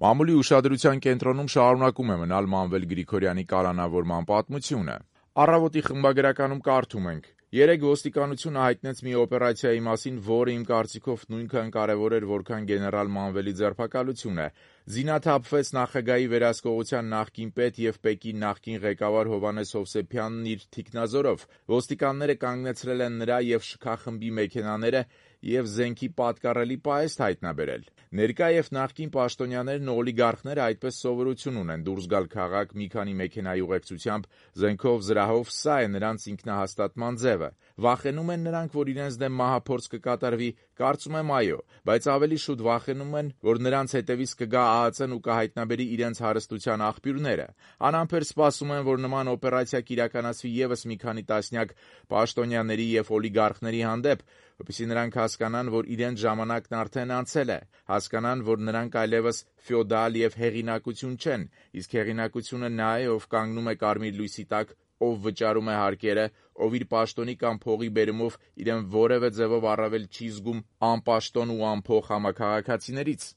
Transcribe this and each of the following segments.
Մամուլի ուշադրության կենտրոնում շարունակում է մնալ Մանվել Գրիգորյանի կալանավորման պատմությունը։ Առավոտի խմբագրականում կարդում ենք. «Երեկ ոստիկանությունը հայտնեց մի օպերացիայի մասին, որը իմ կարծիքով նույնքան կարևոր էր, որքան գեներալ Մանվելի ձերբակալությունը։ Զինաթափվեց նախագահի վերահսկողության նախկին պետ և ՊԵԿ-ի նախկին ղեկավար Հովհաննես Հովսեփյանն իր թիկնազորով։ Ոստիկանները կանգնեցրել են նրա և ՇՔ խմբի մեքենաները և զենքի պատկառելի պահեստ հայտնաբերել։ Ներկա և նախկին պաշտոնյաներն ու օլիգարխները այդպես սովորություն ունեն՝ դուրս գալ քաղաք մի քանի մեքենայի ուղեկցությամբ, զենքով, զրահով, սա է նրանց ինքնահաստատման ձևը։ Վախենու՞մ են նրանք, որ իրենց դեմ մահափորձ կկատարվի։ Կարծում եմ՝ այո, բայց ավելի շուտ վախենում են, որ նրանց հետևից կգա ԱԱԾ-ն ու կհայտնաբերի իրենց հարստության աղբյուրները։ Անհամբեր սպասում են, որ նման օպերացիա կիրականացվի ևս մի քանի տասնյակ պաշտոնյաների և օլիգարխների հանդեպ, որպեսզի նրանք հասկանան, որ իրենց ժամանակն արդեն անցել է, հասկանան, որ նրանք այլևս ֆեոդալ և հեղինակություն չեն, իսկ հեղինակությունը նա է, ով կանգնում է կարմիր լույսի տակ, ով վճարում է հարկերը, ով իր պաշտոնի կամ փողի բերումով իրեն որևէ ձևով առավել չի զգում անպաշտոն ու անփող համաքաղաքացիներից»։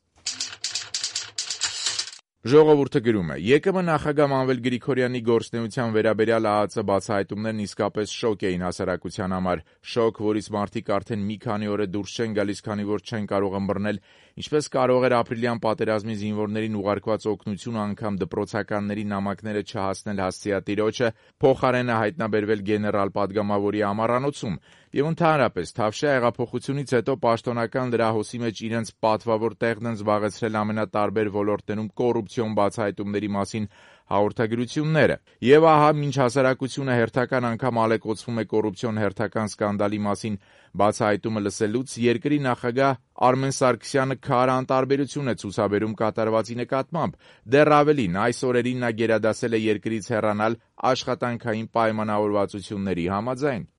Ժողովուրդը գրում է. «ԵԿՄ նախագահ Մանվել Գրիգորյանի գործունեության վերաբերյալ ԱԱԾ բացահայտումներն իսկապես շոկ էին հասարակության համար։ Շոկ, որից մարդիկ արդեն մի քանի օր է դուրս չեն գալիս, քանի որ չեն կարող ըմբռնել ինչպես կարող էր ապրիլյան պատերազմի զինվորներին ուղարկված օգնությունը անգամ դպրոցականների նամակները չհասնել հասցեատիրոջը, փոխարենը հայտնաբերվել գեներալ պատգամավորի ամառանոցում։ Եվ ընդհանրապես, Թավշյա հեղափոխությունից հետո պաշտոնական լրահոսի մեջ իրենց պատվավոր տեղն են զբաղեցրել ամենատարբեր ոլորտներում կոռուպցիոն բացահայտումների մասին հաղորդագրությունները։ Եվ ահա, մինչ հասարակությունը հերթական անգամ ալեկոծվում է կոռուպցիոն հերթական սկանդալի մասին բացահայտումը լսելուց, երկրի նախագահ Արմեն Սարգսյանը քար անտարբերություն է ցուցաբերում կատարվածի նկատմամբ։ Դեռ ավելին, այս օրերին նա գերադասել է երկրից հեռանալ աշխատանքային պայմանավորվածությունների համաձայն։